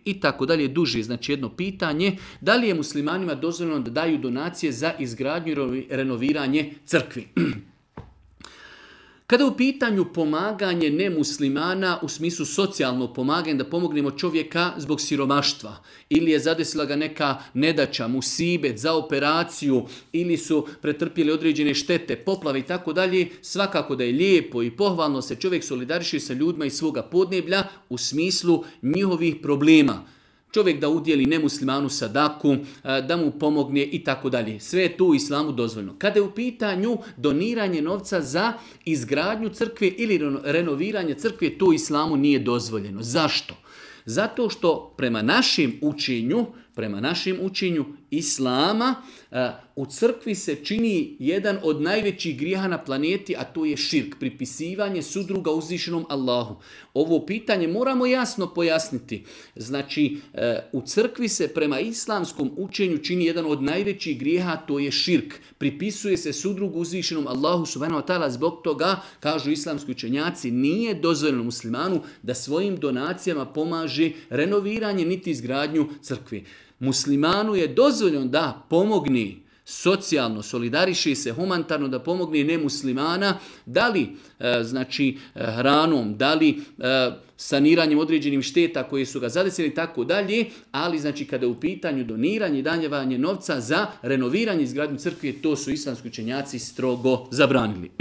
i tako dalje, duže. Znači jedno pitanje, da li je muslimanima dozvoljeno da daju donacije za izgradnju i renoviranje crkvi? Kada je u pitanju pomaganje nemuslimana u smislu socijalnog pomaganja, da pomognemo čovjeka zbog siromaštva ili je zadesila ga neka nedaća, musibet za operaciju ili su pretrpjeli određene štete, poplave i tako dalje, svakako da je lijepo i pohvalno se čovjek solidariši sa ljudima iz svoga podneblja u smislu njihovih problema. Čovjek da udjeli nemuslimanu sadaku, da mu pomogne i tako dalje. Sve je tu u islamu dozvoljeno. Kada je u pitanju doniranje novca za izgradnju crkve ili renoviranje crkve, to u islamu nije dozvoljeno. Zašto? Zato što prema našem učenju islama u crkvi se čini jedan od najvećih grijeha na planeti, a to je širk, pripisivanje sudruga uzvišenom Allahu. Ovo pitanje moramo jasno pojasniti. Znači, u crkvi se prema islamskom učenju čini jedan od najvećih grijeha, to je širk. Pripisuje se sudrugu uzvišenom Allahu subhanahu wa ta'ala, zbog toga, kažu islamski učenjaci, nije dozvoljeno muslimanu da svojim donacijama pomaže renoviranje niti izgradnju crkve. Muslimanu je dozvoljeno da pomogne socijalno, solidariši se humanitarno, da pomogne nemuslimana, da li hranom, da li saniranjem određenim šteta koje su ga zadesili i tako dalje, ali znači kada je u pitanju doniranje i danjevanje novca za renoviranje izgradnju crkve, to su islamski učenjaci strogo zabranili.